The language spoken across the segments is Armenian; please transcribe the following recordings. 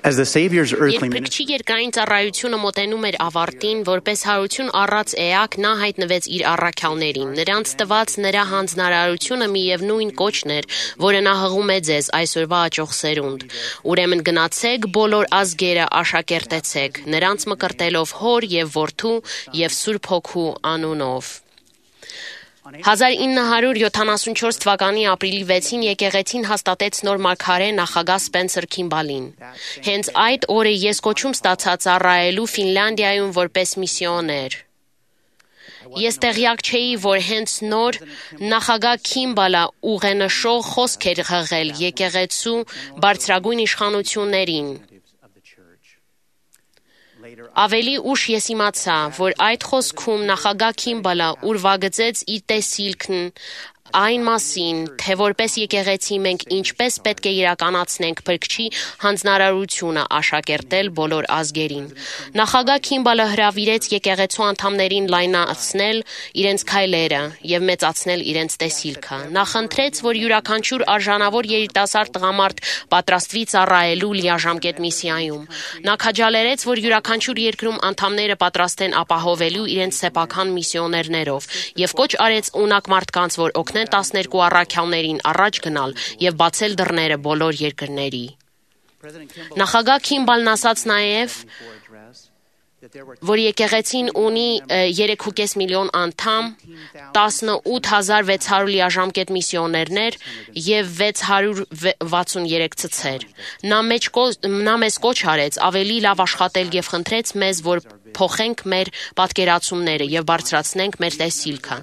As the Savior's earthly Երբ ministry Փրկչի երկրային ծառայությունը մոտենում էր ավարտին, որպես հարություն առած էակ նա հայտնվեց իր առաքյալներին։ Նրանց տված նրա հանձնարարությունը միևնույն կոչն էր, որը նա հղում է ձեզ այսօրվա աճող սերունդ։ Ուրեմն գնացեք բոլոր ազգերը աշակերտեցեք, նրանց մկրտելով Հոր եւ Որդու եւ Սուրբ Հոգու անունով։ 1974 թվականի ապրիլի 6-ին եկեղեցին հաստատեց նոր մարգարե նախագահ Սպենսեր Քիմբալին։ Հենց այդ օրը ես կոչում ստացա ծառայելու Ֆինլանդիայում որպես միսիոներ։ Ես տեղյակ չէի, որ հենց նոր նախագահ Քիմբալը ուղենշող խոսք էր հղել եկեղեցու բարձրագույն իշխանություններին։ Ավելի ուշ ես իմացա, որ այդ խոսքում նախագահ Քիմբալը ուրվագծեց իր տեսիլքն այն մասին, թե որպես եկեղեցի մենք ինչպես պետք է իրականացնենք Փրկչի հանձնարարությունը աշակերտել բոլոր ազգերին։ Նախագահ Քիմբալը հրավիրեց եկեղեցու անդամներին լայնացնել իրենց քայլերը եւ մեծացնել իրենց տեսիլքը։ Նա խնդրեց, որ յուրաքանչյուր արժանավոր երիտասարդ տղամարդ պատրաստվի ծառայելու լիաժամկետ միսիայում։ Նա քաջալերեց, որ յուրաքանչյուր երկրում անդամները պատրաստ են ապահովելու իրենց սեփական միսիոներներով եւ կոչ արեց ունակ մարդկանց, որ օգնեն 12 առաքյալներին առաջ գնալ եւ բացել դռները բոլոր երկրների։ Նախագահ Քիմբալն ասաց նաեւ, որ եկեղեցին ունի 3.5 միլիոն անդամ, 18600 լիաժամկետ միսիոներներ եւ 663 ցցեր։ Նա մեզ կոչ արեց ավելի լավ աշխատել եւ խնդրեց մեզ, որ փոխենք մեր պատկերացումները եւ բարձրացնենք մեր տեսիլքը։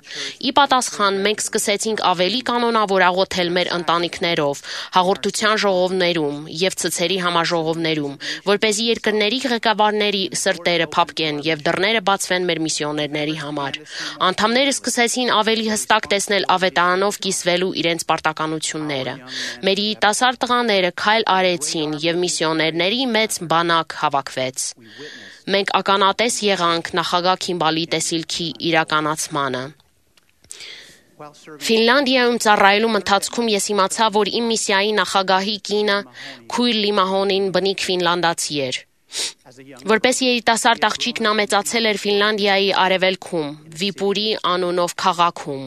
Ի պատասխան մենք սկսեցինք ավելի կանոնավոր աղոթել մեր ընտանիքներով, հաղորդության ժողովներում եւ ցցերի համաժողովներում, որպեսզի երկրների ղեկավարների սրտերը փափկեն եւ դռները բացվեն մեր միսիոներների համար։ Անդամները սկսեցին ավելի հստակ տեսնել ավետարանով կիսվելու իրենց պարտականությունները։ Մեր երիտասարդ տղաները քայլ արեցին եւ միսիոներների մեծ բանակ հավաքվեց։ Մենք ականատես եղանք նախագահ Քիմբալի տեսիլքի իրականացմանը։ Ֆինլանդիայում ծառայելու ընթացքում ես իմացա, որ իմ միսիայի նախագահի կինը Քույր Լիմահոնին բնիկ ֆինլանդացի էր։ Որպես երիտասարդ աղջիկ նա մեծացել էր Ֆինլանդիայի արևելքում, Վիպուրի անունով քաղաքում։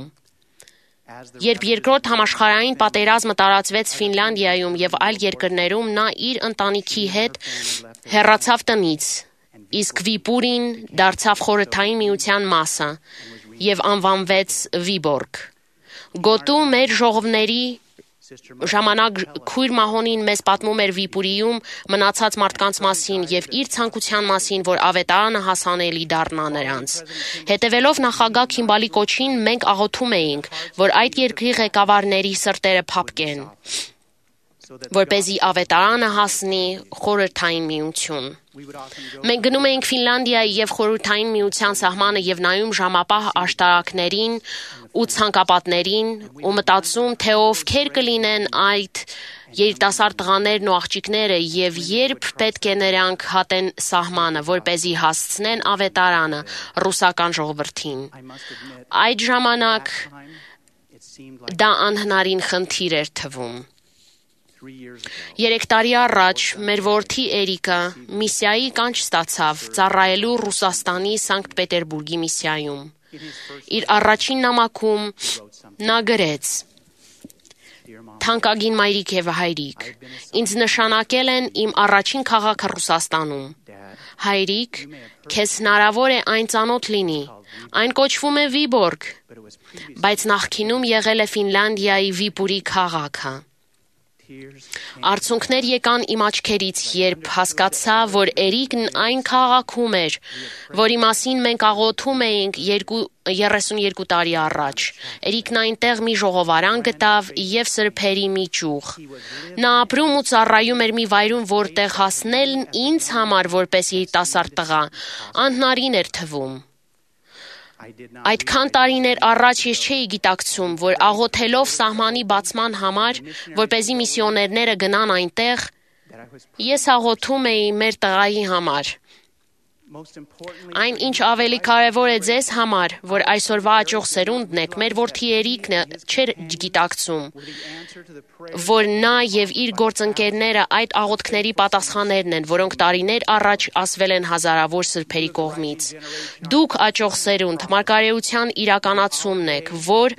Երբ երկրորդ համաշխարհային պատերազմը տարածվեց Ֆինլանդիայում եւ այլ երկրներում, նա իր ընտանիքի հետ հեռացավ տնից, իսկ Վիպուրին դարձավ խորհրդային միության մասը եւ անվանվեց Վիբորգ։ Գոտու մեր ժողովների ժամանակ Քույր Մահոնին մեզ պատմում էր Վիպուրիում մնացած մարդկանց մասին եւ իր ցանկության մասին, որ ավետարանը հասանելի դառնա նրանց։ Հետևելով նախագահ Քիմբալի կոչին, մենք աղոթում էինք, որ այդ երկրի ղեկավարների սրտերը փափկեն, որպեսզի ավետարանը հասնի խորհրդային միություն։ Մենք գնում էինք Ֆինլանդիայի եւ խորհրդային միության սահմանը եւ նայում ժամապահ աշտարակներին ու ցանկապատներին ու մտածում, թե ովքեր կլինեն այդ երիտասարդ տղաներն ու աղջիկները եւ երբ պետք է նրանք հատեն սահմանը, որպեսզի հասցնեն ավետարանը ռուսական ժողովրդին։ Այդ ժամանակ դա անհնարին խնդիր էր թվում։ 3 տարի առաջ մեր որդի Էրիկը միսիայի կանչ ստացավ ծառայելու Ռուսաստանի Սանկտ Պետերբուրգի միսիայում։ Իր առաջին նամակում նա գրեց. Թանկագին մայրիկ եւ հայրիկ, ինձ նշանակել են իմ առաջին քաղաքը Ռուսաստանում։ Հայրիկ, քեզ հնարավոր է այն ծանոթ լինի։ Այն կոչվում է Վիբորգ, բայց նախկինում եղել է Ֆինլանդիայի Վիպուրի քաղաքը։ Արցունքներ եկան իմ աչքերից, երբ հասկացա, որ Էրիկն այն քաղաքում էր, որի մասին մենք աղոթում էինք 32 տարի առաջ։ Էրիկն այնտեղ մի ժողովարան գտավ եւ սրբերի մի ճյուղ։ Նա ապրում ու ծառայում էր մի վայրում, որտեղ հասնելն ինձ համար որպես երիտասարդ տղա անհնարին էր թվում։ Այդքան տարիներ առաջ ես չէի գիտակցում, որ աղոթելով սահմանի բացման համար, որպեսզի միսիոներները գնան այնտեղ, ես աղոթում էի մեր տղայի համար։ Այն, ինչ ավելի կարևոր է ձեզ համար, որ այսօրվա աճող սերունդն եք, մեր որդի Երիկը չէր գիտակցում, որ նա եւ իր գործընկերները այդ աղոթքների պատասխաններն են, որոնք տարիներ առաջ ասվել են հազարավոր սրբերի կողմից։ Դուք աճող սերունդ մարգարեության իրականացումն եք, որ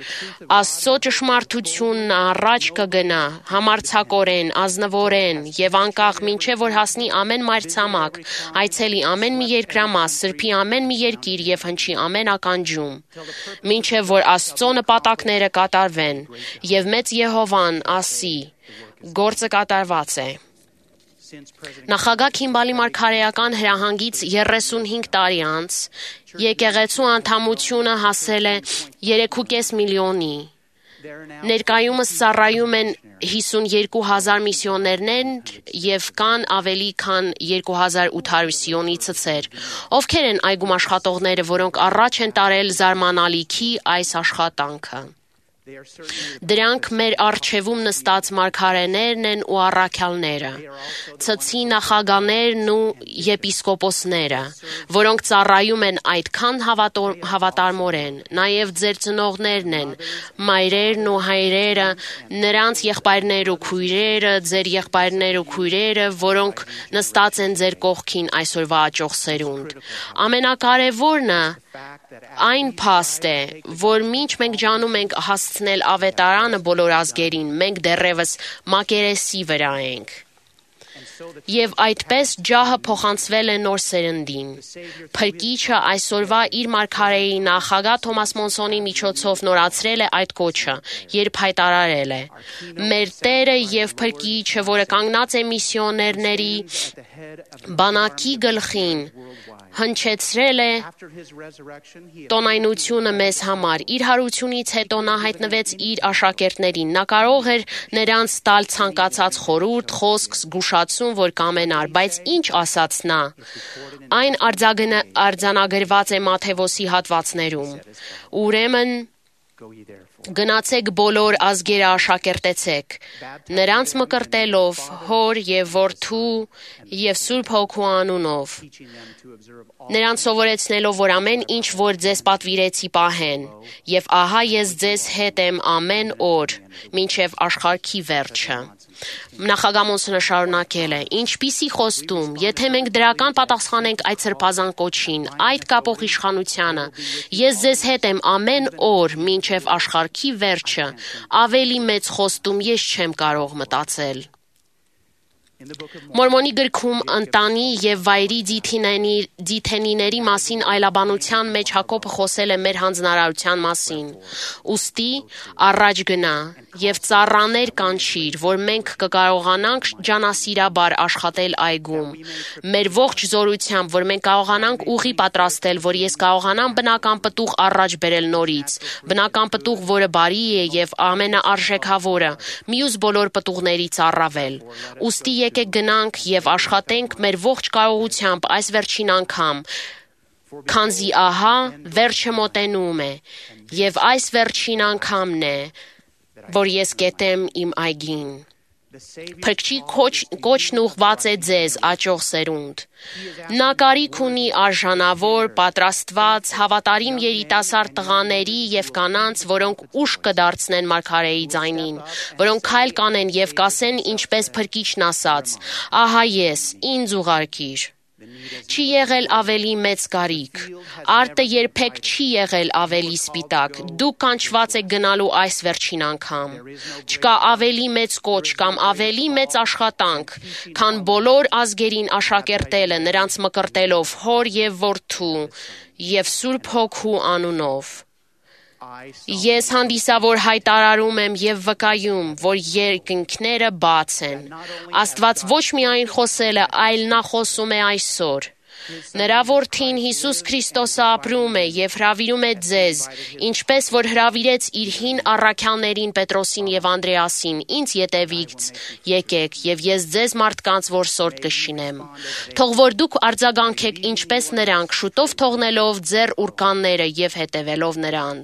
Աստծո ճշմարտությունն առաջ կգնա, համարձակորեն, ազնվորեն եւ անկախ մինչեւ որ հասնի ամեն մայրցամաք, այցելի ամեն մի երկրամաս, սրբի ամեն մի երկիր եւ հնչի ամեն ականջում, մինչեւ որ Աստծո նպատակները կատարվեն եւ մեծ Եհովան ասի. գործը կատարված է։ Նախագահ Քիմբալի մարգարեական հրահանգից 35 տարի անց եկեղեցու անդամությունը հասել է 3.5 միլիոնի։ Ներկայումս ծառայում են 52,000 միսիոներներ եւ կան ավելի քան 2,800 սիոնի ցցեր, ովքեր են այգում աշխատողները, որոնք առաջ են տարել զարմանալիքի այս աշխատանքը։ Դրանք մեր առջևում նստած մարգարեներն են ու առաքյալները, ցցի նախագաներն ու եպիսկոպոսները, որոնք ծառայում են այդքան հավատարմորեն, նաև ձեր ծնողներն են, մայրերն ու հայրերը, նրանց եղբայրներ ու քույրերը, ձեր եղբայրներ ու քույրերը, որոնք նստած են ձեր կողքին այսօրվա աճող սերունդ։ Ամենակարևորն այն փաստ է, որ մինչ մենք ջանում ենք հասցնել ավետարանը բոլոր ազգերին, մենք դեռևս մակերեսի վրա ենք։ Եվ այդպես ջահը փոխանցվել է նոր սերնդին։ Փրկիչը այսօրվա իր մարգարեի նախագահ Թոմաս Մոնսոնի միջոցով նորացրել է այդ կոչը, երբ հայտարարել է. Մեր Տերը եւ Փրկիչը, որը կանգնած է միսիոներների բանակի գլխին, հնչեցրել է տոնայնությունը մեզ համար։ Իր հարությունից հետո նա հայտնվեց իր աշակերտներին։ Նա կարող էր նրանց տալ ցանկացած խորհուրդ, խոսք, զգուշացում, որ կամենար, բայց ինչ ասաց նա։ Այն արձանագրված է Մատթեոսի հատվածներում։ Ուրեմն գնացեք բոլոր ազգերը աշակերտեցեք, նրանց մկրտելով հոր եւ որդու եւ Սուրբ Հոգու անունով, նրանց սովորեցնելով, որ ամեն ինչ, որ ձեզ պատվիրեցի, պահեն, եւ ահա ես ձեզ հետ եմ ամեն օր, մինչեւ աշխարհի վերջը։ Նախագահ Մոնսոնը շարունակել է. ինչպիսի խոստում, եթե մենք դրական պատասխանենք այդ սրբազան կոչին, այդ կապող իշխանությանը, ես ձեզ հետ եմ ամեն օր, մինչև աշխարհի վերջը, ավելի մեծ խոստում ես չեմ կարող մտածել։ Մորմոնի գրքում ընտանի եւ վայրի ձիթենիների մասին այլաբանության մեջ Հակոբը խոսել է մեր հանձնարարության մասին։ Ուստի առաջ գնա եւ ծառաներ կանչիր, որ մենք կկարողանանք ջանասիրաբար աշխատել այգում։ Մեր ողջ զորությամբ, որ մենք կարողանանք ուղի պատրաստել, որ ես կարողանամ բնական պտուղ առաջ բերել նորից, բնական պտուղ, որը բարի է եւ ամենաարժեքավորը, մյուս բոլոր պտուղներից առավել։ Ուստի եկեք գնանք եւ աշխատենք մեր ողջ կարողությամբ այս վերջին անգամ, քանզի ահա վերջը մոտենում է, եւ այս վերջին անգամն է, որ ես կետեմ իմ այգին։ Փրկչի կոչն ուղված է ձեզ, աճող սերունդ։ Նա կարիք ունի արժանավոր, պատրաստված, հավատարիմ երիտասարդ տղաների եւ կանանց, որոնք ուշ կդարձնեն մարգարեի ձայնին, որոնք քայլ կանեն եւ կասեն, ինչպես Փրկիչն ասաց. ահա ես, ինձ ուղարկիր։ Չի եղել ավելի մեծ կարիք, արտը երբեք չի եղել ավելի սպիտակ, դուք կանչված եք գնալու այս վերջին անգամ, չկա ավելի մեծ կոչ կամ ավելի մեծ աշխատանք, քան բոլոր ազգերին աշակերտելը, նրանց մկրտելով հոր եւ որդու եւ Սուրբ Հոգու անունով։ Ես հանդիսավոր հայտարարում եմ եւ վկայում, որ երկնքները բաց են։ Աստված ոչ միայն խոսել է, այլ նա խոսում է այսօր։ Նրա որդին Հիսուս Քրիստոսը ապրում է եւ հրավիրում է ձեզ, ինչպես որ հրավիրեց իր հին առաքյալներին Պետրոսին եւ Անդրեասին, ինձ ետևից եկեք եւ ես ձեզ մարդկանց որսորդ կշինեմ։ Թող որ դուք արձագանքեք ինչպես նրանք, շուտով թողնելով ձեր ուրկանները եւ հետևելով նրան։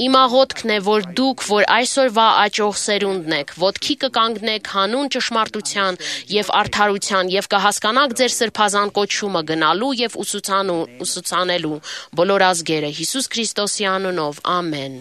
Իմ աղոթքն է, որ դուք, որ այսօրվա աճող սերունդն եք, ոտքի կկանգնեք հանուն ճշմարտության եւ արդարության եւ կհասկանաք ձեր սրբազան կոչումը, կամը գնալու եւ ուսուցանելու բոլոր ազգերը Հիսուս Քրիստոսի անունով ամեն